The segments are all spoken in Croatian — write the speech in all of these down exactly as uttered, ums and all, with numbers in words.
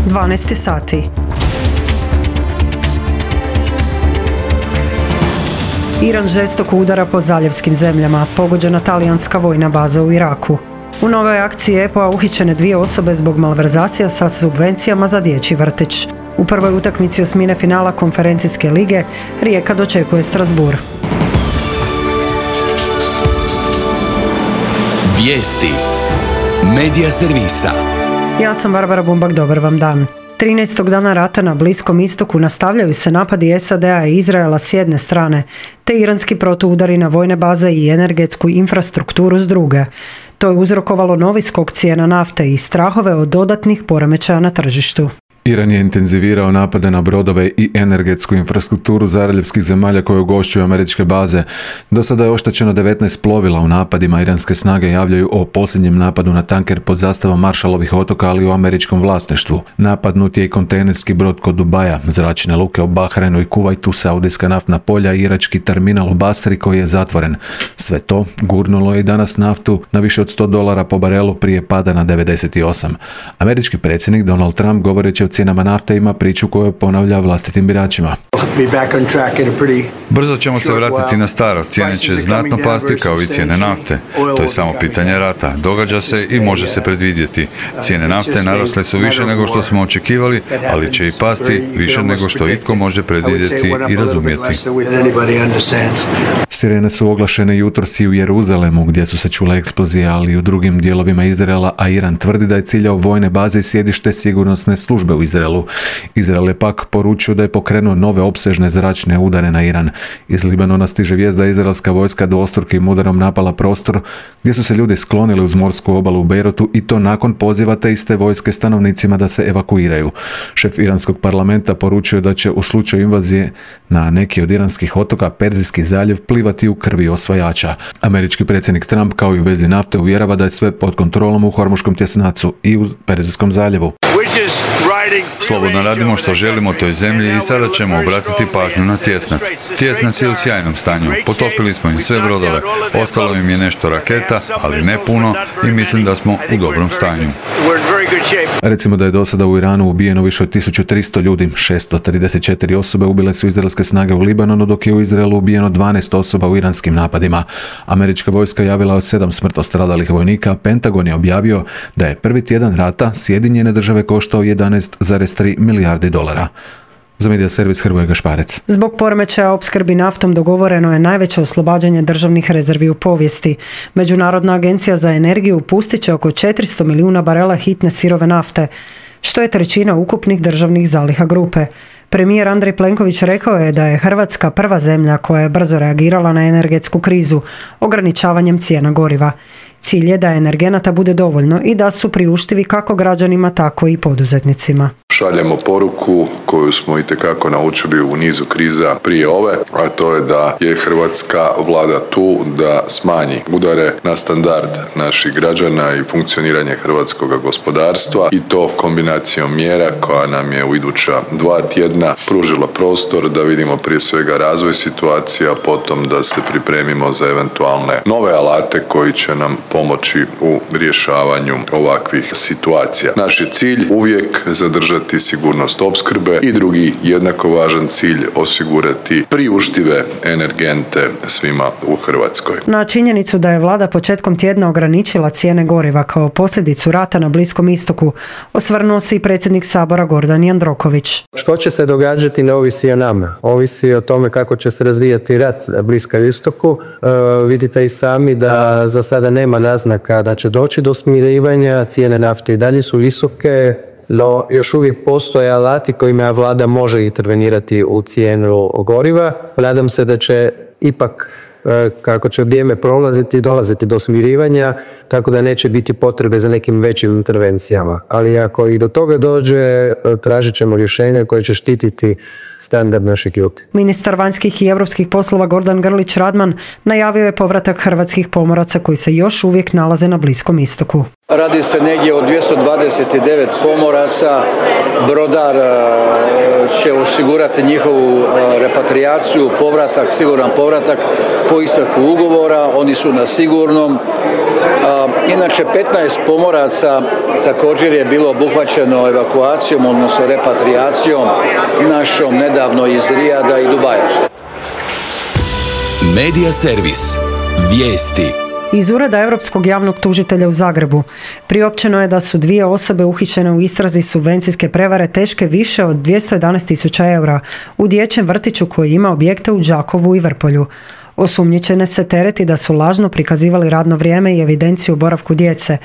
dvanaest sati. Iran žestoko udara po zaljevskim zemljama, pogođena talijanska vojna baza u Iraku. U novoj akciji E P O-a uhićene dvije osobe zbog malverzacija sa subvencijama za dječji vrtić. U prvoj utakmici osmine finala konferencijske lige Rijeka dočekuje Strasbourg. Vijesti Medija servisa. Ja sam Barbara Bumbak, dobar vam dan. trinaestog dana rata na Bliskom istoku nastavljaju se napadi S A D-a i Izraela s jedne strane, te iranski protuudari na vojne baze i energetsku infrastrukturu s druge. To je uzrokovalo novi skok cijena nafte i strahove od dodatnih poremećaja na tržištu. Iran je intenzivirao napade na brodove i energetsku infrastrukturu zaljevskih zemalja koje ugošćuju američke baze. Do sada je oštećeno devetnaest plovila u napadima. Iranske snage javljaju o posljednjem napadu na tanker pod zastavom Maršalovih otoka, ali u američkom vlasništvu. Napadnut je i kontejnerski brod kod Dubaja, zračne luke u Bahrajnu i Kuvajtu, saudijska naftna polja i irački terminal u Basri koji je zatvoren. Sve to gurnulo je i danas naftu na više od sto dolara po barelu prije pada na devedeset osam. Američki predsjednik Donald Trump, govoreći o cijenama nafte, ima priču koju ponavlja vlastitim biračima. Brzo ćemo se vratiti na staro, cijene će znatno pasti kao i cijene nafte. To je samo pitanje rata, događa se i može se predvidjeti. Cijene nafte narasle su više nego što smo očekivali, ali će i pasti više nego što itko može predvidjeti i razumjeti. Sirene su oglašene jutros i u Jeruzalemu, gdje su se čule eksplozije, ali i u drugim dijelovima Izraela, a Iran tvrdi da je ciljao vojne baze i sjedište sigurnosne službe u Izraelu. Izrael je pak poručio da je pokrenuo nove opsežne zračne udare na Iran. Iz Libanona stiže vijest da je izraelska vojska dvostrukim udarom napala prostor gdje su se ljudi sklonili uz morsku obalu u Bejrutu, i to nakon poziva te iste vojske stanovnicima da se evakuiraju. Šef iranskog parlamenta poručio da će u slučaju invazije na neki od iranskih otoka Perzijski zaljev plivati u krvi osvajača. Američki predsjednik Trump, kao i u vezi nafte, uvjerava da je sve pod kontrolom u Hormuškom tjesnacu i u Perzijskom zaljevu. Slobodno radimo što želimo toj zemlji i sada ćemo obratiti pažnju na tjesnac. Tjesnac je u sjajnom stanju. Potopili smo im sve brodove. Ostalo im je nešto raketa, ali ne puno, i mislim da smo u dobrom stanju. Recimo da je do sada u Iranu ubijeno više od tisuću tristo ljudi. šesto trideset četiri osobe ubile su izraelske snage u Libanonu, dok je u Izraelu ubijeno dvanaest osoba u iranskim napadima. Američka vojska javila od sedam smrtno stradalih vojnika. Pentagon je objavio da je prvi tjedan rata Sjedinjene države koštao jedanaest zarez tri milijardi dolara. Za medija servis Hrvoje Gašparec. Zbog poremećaja opskrbi naftom dogovoreno je najveće oslobađanje državnih rezervi u povijesti. Međunarodna agencija za energiju pustit će oko četiristo milijuna barela hitne sirove nafte, što je trećina ukupnih državnih zaliha grupe. Premijer Andrej Plenković rekao je da je Hrvatska prva zemlja koja je brzo reagirala na energetsku krizu ograničavanjem cijena goriva. Cilj je da energenata bude dovoljno i da su priuštivi kako građanima, tako i poduzetnicima. Šaljemo poruku koju smo itekako naučili u nizu kriza prije ove, a to je da je hrvatska vlada tu da smanji udare na standard naših građana i funkcioniranje hrvatskog gospodarstva, i to kombinacijom mjera koja nam je u iduća dva tjedna pružila prostor da vidimo prije svega razvoj situacija, potom da se pripremimo za eventualne nove alate koji će nam pomoći u rješavanju ovakvih situacija. Naš je cilj uvijek zadržati sigurnost opskrbe i drugi jednako važan cilj osigurati priuštive energente svima u Hrvatskoj. Na činjenicu da je vlada početkom tjedna ograničila cijene goriva kao posljedicu rata na Bliskom istoku, osvrnuo se i predsjednik Sabora Gordan Jandroković. Što će se događati ne ovisi o nama, ovisi o tome kako će se razvijati rat na Bliskom istoku. E, vidite i sami da za sada nema naznaka da će doći do smirivanja, cijene nafte i dalje su visoke, no još uvijek postoje alati kojima vlada može intervenirati u cijenu goriva. Nadam se da će ipak, kako će vrijeme prolaziti, dolaziti do smirivanja, tako da neće biti potrebe za nekim većim intervencijama. Ali ako i do toga dođe, tražit ćemo rješenja koje će štititi standard naših ljudi. Ministar vanjskih i europskih poslova Gordan Grlić Radman najavio je povratak hrvatskih pomoraca koji se još uvijek nalaze na Bliskom istoku. Radi se negdje o dvjesto dvadeset devet pomoraca. Brodar će osigurati njihovu repatrijaciju, povratak, siguran povratak po isteku ugovora. Oni su na sigurnom. Inače, petnaest pomoraca također je bilo obuhvaćeno evakuacijom, odnosno repatrijacijom našom nedavno iz Rijada i Dubaja. Medija servis. Vijesti. Iz Ureda Europskog javnog tužitelja u Zagrebu priopćeno je da su dvije osobe uhićene u istrazi subvencijske prevare teške više od dvjesto jedanaest tisuća eura u dječjem vrtiću koji ima objekte u Đakovu i Vrpolju. Osumnjičene se tereti da su lažno prikazivali radno vrijeme i evidenciju o boravku djece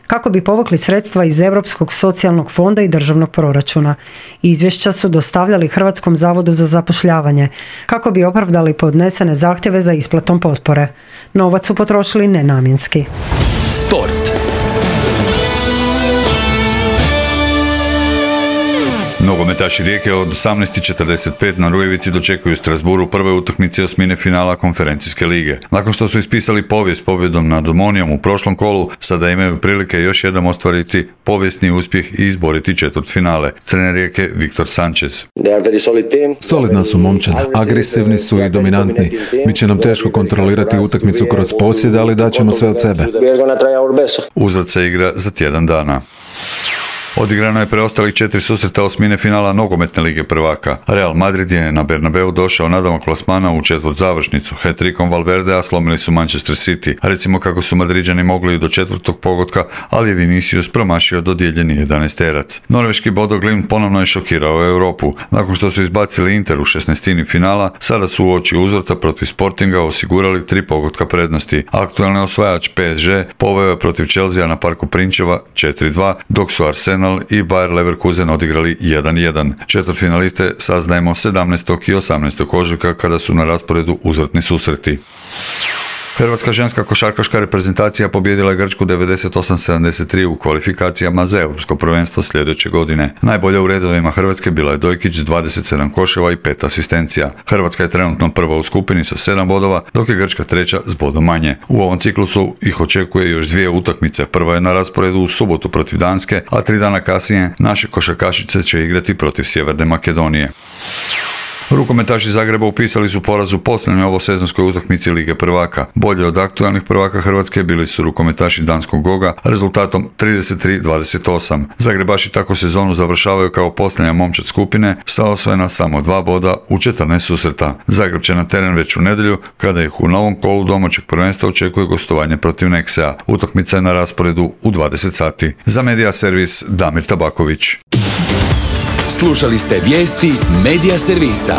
kako bi povukli sredstva iz Europskog socijalnog fonda i državnog proračuna. Izvješća su dostavljali Hrvatskom zavodu za zapošljavanje kako bi opravdali podnesene zahtjeve za isplatom potpore. Novac su potrošili nenamjenski. Sport. Nogometaši Rijeke od osamnaest i četrdeset pet na Rujevici dočekuju Strasburu prve utakmice osmine finala konferencijske lige. Nakon što su ispisali povijest pobjedom nad Omonijom u prošlom kolu, sada imaju prilike još jednom ostvariti povijesni uspjeh i izboriti četvrtfinale. Trener Rijeke Viktor Sanchez. Solidna su momčad, agresivni su i dominantni. Biće nam teško kontrolirati utakmicu kroz posjed, ali daćemo sve od sebe. Uzvrat se igra za tjedan dana. Odigrano je preostalih četiri susreta osmine finala nogometne lige prvaka. Real Madrid je na Bernabeu došao nadomak plasmana u četvrt završnicu. Hat-trickom Valverdea slomili su Manchester City. Recimo kako su Madriđani mogli do četvrtog pogotka, ali je Vinicius promašio dodijeljeni jedanaesterac. Norveški Bodo Glimt ponovno je šokirao Europu. Nakon što su izbacili Inter u šesnaestini finala, sada su uoči uzvrata protiv Sportinga osigurali tri pogotka prednosti. Aktualni osvajač P S G poveo je protiv Chelsea na Parku Prinčeva četiri dva, dok su Arsenal i Bayer Leverkusen odigrali jedan jedan. Četvrtfinaliste saznajemo sedamnaestog i osamnaestog ožujka kada su na rasporedu uzvratni susreti. Hrvatska ženska košarkaška reprezentacija pobijedila je Grčku devedeset osam sedamdeset tri u kvalifikacijama za europsko prvenstvo sljedeće godine. Najbolja u redovima Hrvatske bila je Dojkić s dvadeset sedam koševa i pet asistencija. Hrvatska je trenutno prva u skupini sa sedam bodova, dok je Grčka treća s bodom manje. U ovom ciklusu ih očekuje još dvije utakmice. Prva je na rasporedu u subotu protiv Danske, a tri dana kasnije naše košarkašice će igrati protiv Sjeverne Makedonije. Rukometaši Zagreba upisali su poraz u posljednjoj ovosezonskoj utakmici Lige prvaka. Bolje od aktualnih prvaka Hrvatske bili su rukometaši danskog Goga rezultatom trideset tri dvadeset osam. Zagrebaši tako sezonu završavaju kao posljednja momčad skupine sa osvojena samo dva boda u četrnaest susreta. Zagreb će na teren već u nedjelju kada ih u novom kolu domaćeg prvenstva očekuje gostovanje protiv Nexea. Utakmica je na rasporedu u dvadeset sati. Za Medija servis Damir Tabaković. Slušali ste vijesti Medija servisa.